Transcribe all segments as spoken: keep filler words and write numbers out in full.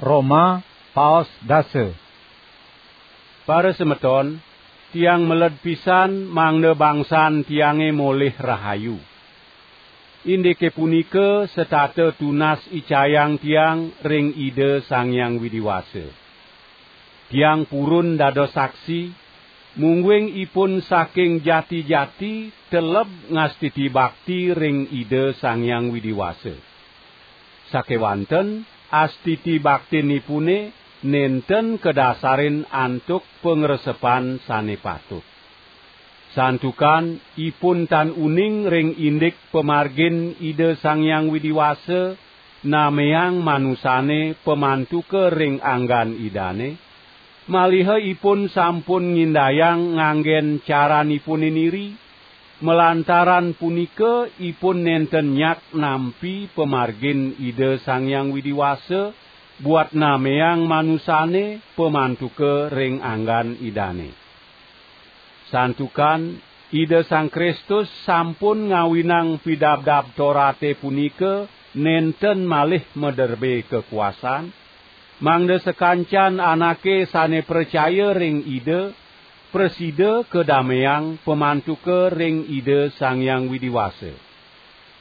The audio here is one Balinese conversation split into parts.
Roma, paos dasa. Para semeton, tiang meled pisan mangda bangsan tiange molih rahayu. Indike punika setata tunas icayang tiang ring Ida Sang Hyang Widi Wasa. Tiang purun dados saksi, mungguing ipun saking jati-jati teleb ngastiti bakti ring Ida Sang Hyang Widi Wasa. Sakewanten astiti baktinipune nenten kadasarin antuk pangresepan sane patut. Santukan ipun tan uning ring indik pamargin Ida Sang Hyang Widi Wasa nameang manusane pamantuka ring anggan Idane, maliha ipun sampun ngindayang nganggen caranipune niri, malantaran punika ipun nenten nyak nampi pamargin Ida Sang Hyang Widi Wasa buat nameang manusane pamantuka ring anggan Idane. Santukan Ida Sang Kristus sampun ngawinang Pidabdab Torate punika nenten malih maderbe kakuasan, mangda sakancan anake sane pracaya ring Ida prasida kadameang pamantuka ring Ida Sang Hyang Widi Wasa.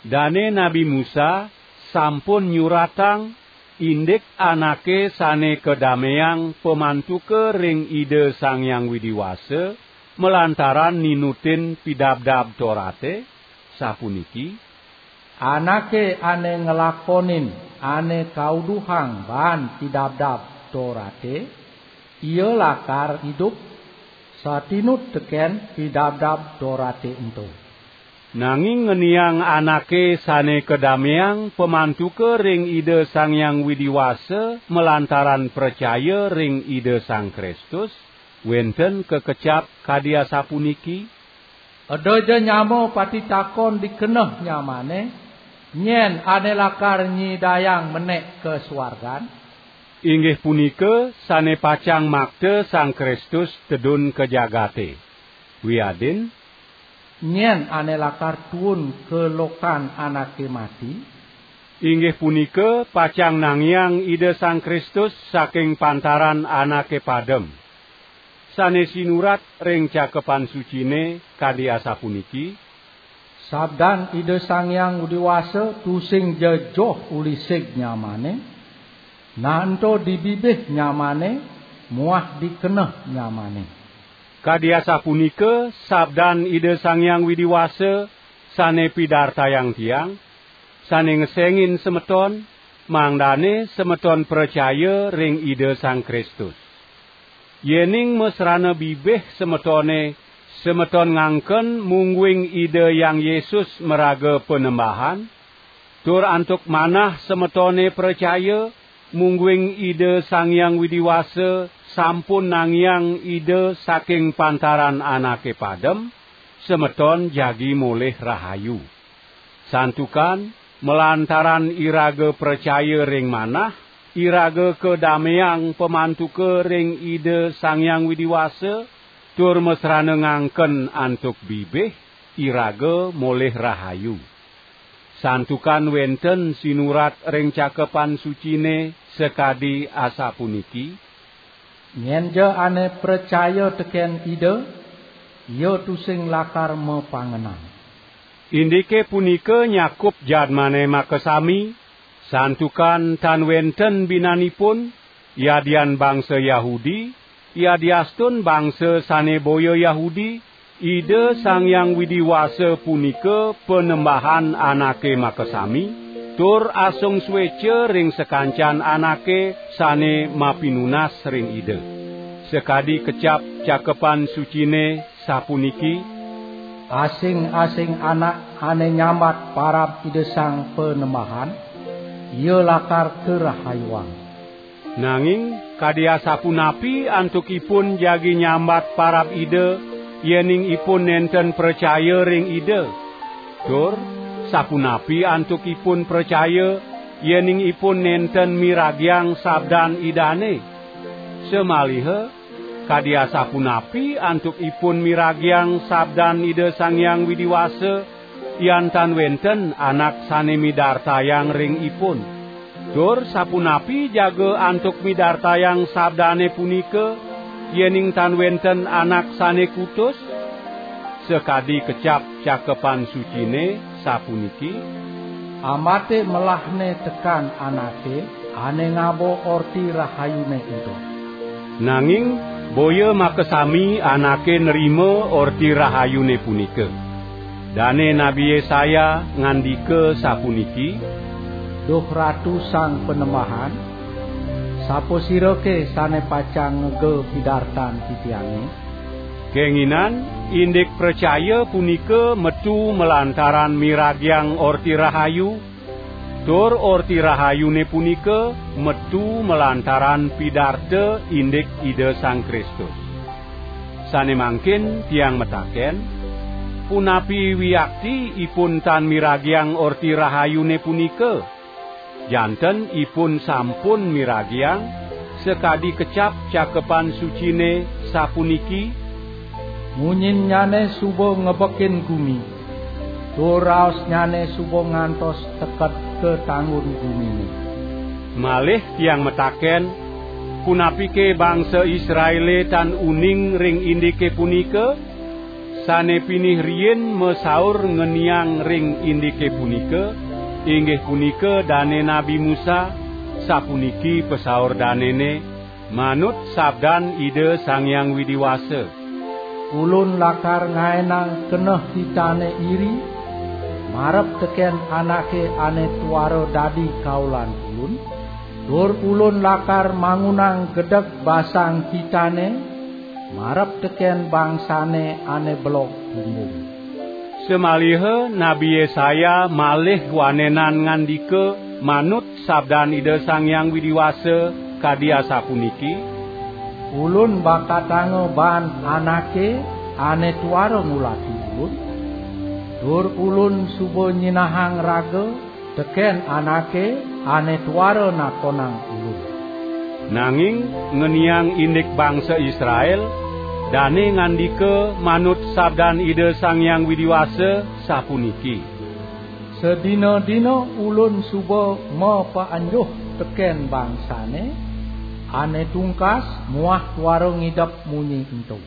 Dane Nabi Musa sampun nyuratang indik anake sane kadameang pamantuka ring Ida Sang Hyang Widi Wasa malantaran ninutin Pidabdab Torate, sapuniki: "Anake ane nglakonin ane kauduhang baan Pidabdab Torate, ia lakar idup satinut teken Pidabdab Torate ento." Nanging ngeniang anake sane kadameang pamantuka ring Ida Sang Hyang Widi Wasa malantaran pracaya ring Ida Sang Kristus, wenten kakecap kadi asapuniki: "Eda ja nyama pati takon di keneh nyamane, nyen ane lakar nyidayang menek ka suargan?" Inggih punika sane pacang makta Sang Kristus tedun ka jagate. Wiadin, "Nyen ane lakar tuun ka lokan anake mati?" Inggih punika pacang nangiang Ida Sang Kristus saking pantaran anake padem. Sane sinurat ring Cakepan Sucine kadi asapuniki: "Sabdan Ida Sang Hyang Widi Wasa tusing ja joh uli sig nyamane, nah ento di bibih nyamane muah di keneh nyamane." Kadi asapunika sabdan Ida Sang Hyang Widi Wasa sane pidartayang tiang, sane ngesengin semeton, mangdane semeton pracaya ring Ida Sang Kristus. Yening masrana bibih semetone, semeton ngangken mungguing Ida Hyang Yesus maraga Panembahan, tur antuk manah semetone pracaya, mungguing Ida Sang Hyang Widi Wasa sampun nangiang Ida saking pantaran anake padem, semeton jagi molih rahayu. Santukan malantaran iraga pracaya ring manah, iraga kadameang pamantuka ring Ida Sang Hyang Widi Wasa, tur masrana ngangken antuk bibih, iraga molih rahayu. Santukan wenten sinurat ring Cakepan Sucine sakadi asapuniki: "Nyenja ane pracaya teken Ida, ia tusing lakar mapangenang." Indike punika nyakup jadmane makasami, santukan tan wenten binanipun, yadian bangsa Yahudi, yadiastun bangsa sane boya Yahudi, Ida Sang Hyang Widi Wasa punika Panembahan anake makasami, tur asung sueca ring sakancan anake sane mapinunas ring Ida. Sakadi kecap Cakepan Sucine sapuniki: "Asing-asing anak ane nyambat parab Ida Sang Panembahan, ia lakar karahayuang." Nanging kadi asapunapi antuk ipun jagi nyambat parab Ida, yening ipun nenten pracaya ring Ida? Tur sapunapi antuk ipun pracaya, yening ipun nenten miragiang sabdan Idane? Samaliha, kadi asapunapi antuk ipun miragiang sabdan Ida Sang Hyang Widi Wasa, yan tan wenten anak sane midartayang ring ipun? Tur sapunapi jaga antuk midartayang sabdane punika, yening tan wenten anak sane kutus? Sakadi kecap Cakepan Sucine, sapuniki: "Amate melahne tekan anake ane ngaba Orti Rahayune ento." Nanging boya makasami anake nrima Orti Rahayune punika. Dane Nabi Yesaya ngandika sapuniki: "Duh Ratu Sang Panembahan, sapasirake sane pacang ngega pidartan titiange?" Kenginan indik pracaya punika metu malantaran miragiang Orti Rahayu, tur Orti Rahayune punika metu malantaran pidarta indik Ida Sang Kristus. Sane mangkin tiang mataken, punapi wiakti ipun tan miragiang Orti Rahayune punika? Janten ipun sampun miragiang, sakadi kecap Cakepan Sucine, sapuniki: "Munyinnyane suba ngebekin gumi, tur raosnyane suba ngantos teked ka tanggun gumine." Malih tiang mataken, punapike bangsa Israele tan uning ring indike punika? Sane pinih riin masaur ngeniang ring indike punika, inggih punika dane Nabi Musa, sapuniki pasaur danene, manut sabdan Ida Sang Hyang Widi Wasa: "Ulun lakar ngaenang keneh kitane iri, marep teken anake ane tuara dadi kaulan Ulun, tur Ulun lakar mangunang gedeg basang kitane, marep teken bangsane ane belog bumbung." Samaliha Nabi Yesaya malih wanenan ngandika manut sabdan Ida Sang Hyang Widi Wasa, kadi asapuniki: "Ulun bakatanga baan anake ane tuara ngulati Ulun, tur Ulun suba nyinahang raga teken anake ane tuara nakonang Ulun." Nanging ngeniang indik bangsa Israel, dane ngandika manut sabdan Ida Sang Hyang Widi Wasa, sapuniki: "Sadina-dina Ulun suba mapaenjuh teken bangsane ane tungkas muah tuara ngidep munyi ento."